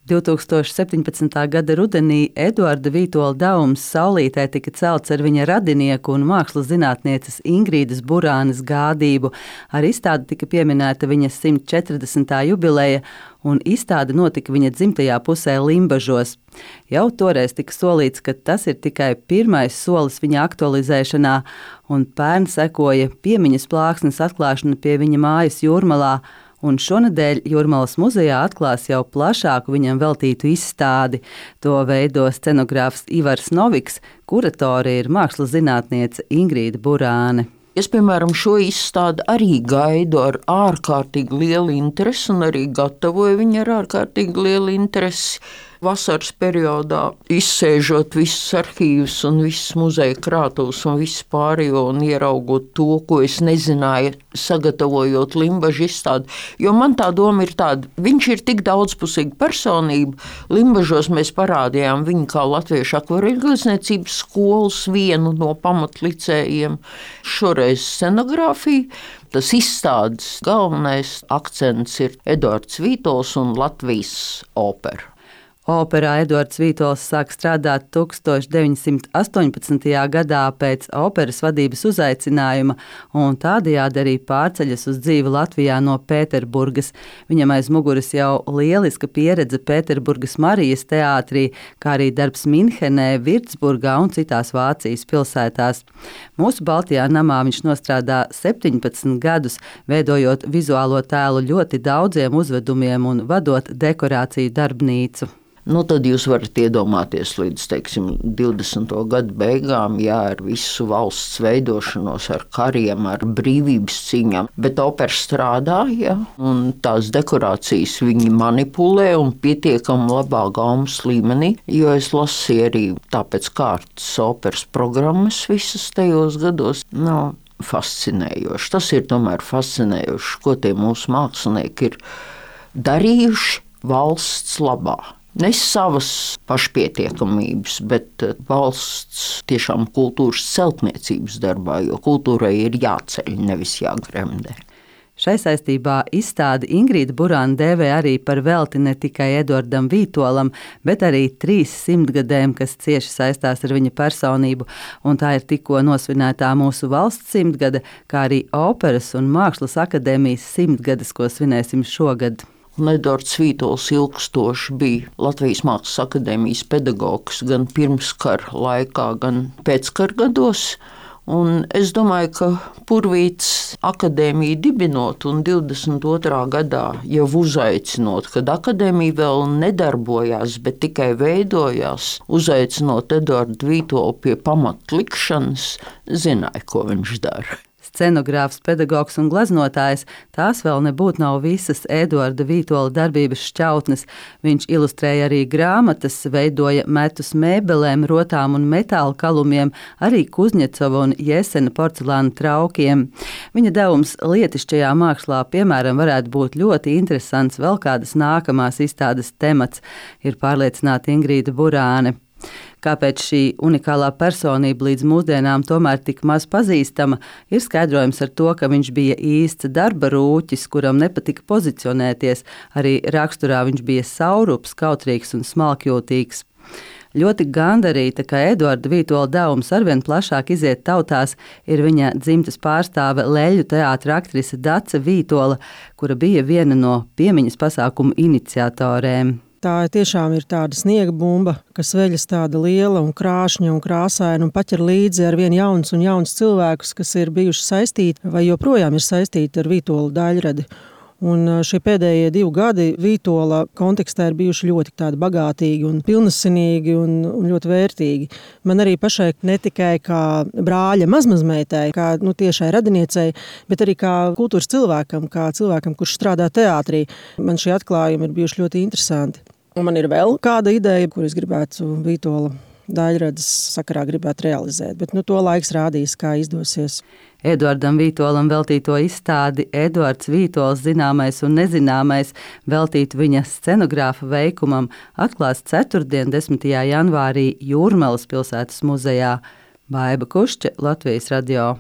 2017. gada rudenī Eduarda Vītola Daums saulītē tika celts ar viņa radinieku un mākslas zinātnieces Ingrīdas Burānes gādību. Ar izstādi tika pieminēta viņa 140. jubileja, un izstāde notika viņa dzimtajā pusē Limbažos. Jau toreiz tika solīts, ka tas ir tikai pirmais solis viņa aktualizēšanā, un pērn sekoja piemiņas plāksnes atklāšana pie viņa mājas Jūrmalā, un šonedēļ Jūrmalas muzejā atklās jau plašāku viņam veltītu izstādi. To veido scenogrāfs Ivars Noviks, kuratore ir mākslas zinātniece Ingrīda Burāne. Es, piemēram, šo izstādi arī gaidu ar ārkārtīgi lielu interesi un arī gatavoju viņu ar ārkārtīgi lielu interesi. Vasaras periodā izsēžot visus arhīvus un visas muzeja krātuves un visu pārējo un ieraugot to, ko es nezināju, sagatavojot Limbažu izstādi. Jo man tā doma ir tāda, viņš ir tik daudzpusīga personība. Limbažos mēs parādījām viņu kā latviešu akvareļglezniecības skolas vienu no pamatlicējiem. Šoreiz scenogrāfija. Tas izstādes galvenais akcents ir Eduards Vītols un Latvijas opera. Operā Eduards Vītols sāk strādāt 1918. gadā pēc operas vadības uzaicinājuma un tādējādi arī pārceļas uz dzīvi Latvijā no Pēterburgas. Viņam aiz muguras jau lieliska pieredze Pēterburgas Marijas teātrī, kā arī darbs Minhenē, Virtsburgā un citās Vācijas pilsētās. Mūsu Baltijā namā viņš nostrādā 17 gadus, veidojot vizuālo tēlu ļoti daudziem uzvedumiem un vadot dekorāciju darbnīcu. Tad jūs varat iedomāties līdz, 20. gadu beigām, ar visu valsts veidošanos, ar kariem, ar brīvības cīņām. Bet opera strādā, un tās dekorācijas viņi manipulē un pietiekami labā gaumas līmenī, jo es lasīju arī tāpēc kārtas operas programmas visas tajos gados. Fascinējoši. Tas ir tomēr fascinējoši, ko tie mūsu mākslinieki ir darījuši valsts labā. Ne savas pašpietiekamības, bet valsts tiešām kultūras celtniecības darbā, jo kultūrai ir jāceļ, nevis jāgremdē. Šai saistībā izstādi Ingrīda Burāne dēvē arī par velti ne tikai Eduardam Vītolam, bet arī 300 gadiem, kas cieši saistās ar viņa personību, un tā ir tikko nosvinētā mūsu valsts 100 gada, kā arī operas un mākslas akadēmijas 100 gadas, ko svinēsim šogad. Eduards Vītols ilgstoši bija Latvijas Mākslas akadēmijas pedagogs gan pirmskara laikā, gan pēckara gados. Un es domāju, ka Purvīts akadēmiju dibinot un 22. gadā jau uzaicinot, kad akadēmija vēl nedarbojās, bet tikai veidojās, uzaicinot Eduardu Vītolu pie pamatlikšanas, zināja, ko viņš dara. Scenogrāfs, pedagogs un glaznotājs, tās vēl nebūtu nav visas Eduarda Vītola darbības šķautnes. Viņš ilustrēja arī grāmatas, veidoja metus mēbelēm, rotām un metāla kalumiem, arī Kuzņecova un Jesena porcelāna traukiem. Viņa devums lietišķajā mākslā, piemēram, varētu būt ļoti interesants vēl kādas nākamās izstādes temats, ir pārliecināta Ingrīda Burāne. Kāpēc šī unikālā personība līdz mūsdienām tomēr tik maz pazīstama, ir skaidrojums ar to, ka viņš bija īsts darba rūķis, kuram nepatika pozicionēties. Arī raksturā viņš bija saurups, kautrīgs un smalkjūtīgs. Ļoti gandarīta, ka Eduarda Vītola devums arvien plašāk iziet tautās, ir viņa dzimtes pārstāve Leļu teātra aktrise Dace Vītola, kura bija viena no piemiņas pasākumu iniciatorēm. Tā tiešām ir tāda sniega bumba, kas veļas tāda liela un krāšņa un krāsaina un paķer līdzi ar vien jauns cilvēkus, kas ir bijuši saistīti vai joprojām ir saistīti ar Vītola daļradi. Un šie pēdējie 2 gadi Vītola kontekstā ir bijuši ļoti tādi bagātīgi un pilnasinīgi un ļoti vērtīgi. Man arī pašai ne tikai kā brāļa mazmazmeitai, kā tiešai radiniecei, bet arī kā kultūras cilvēkam, kurš strādā teātrī. Man šie atklājumi ir bijuši ļoti interesanti. Un man ir vēl kāda ideja, kur es gribētu Vītola daļradas sakarā gribētu realizēt, bet to laiks rādīs, kā izdosies. Eduardam Vītolam veltīto izstādi Eduards Vītols zināmais un nezināmais veltītu viņa scenogrāfa veikumam atklās ceturtdien, 10. janvārī Jūrmalas pilsētas muzejā. Baiba Kušķe, Latvijas radio.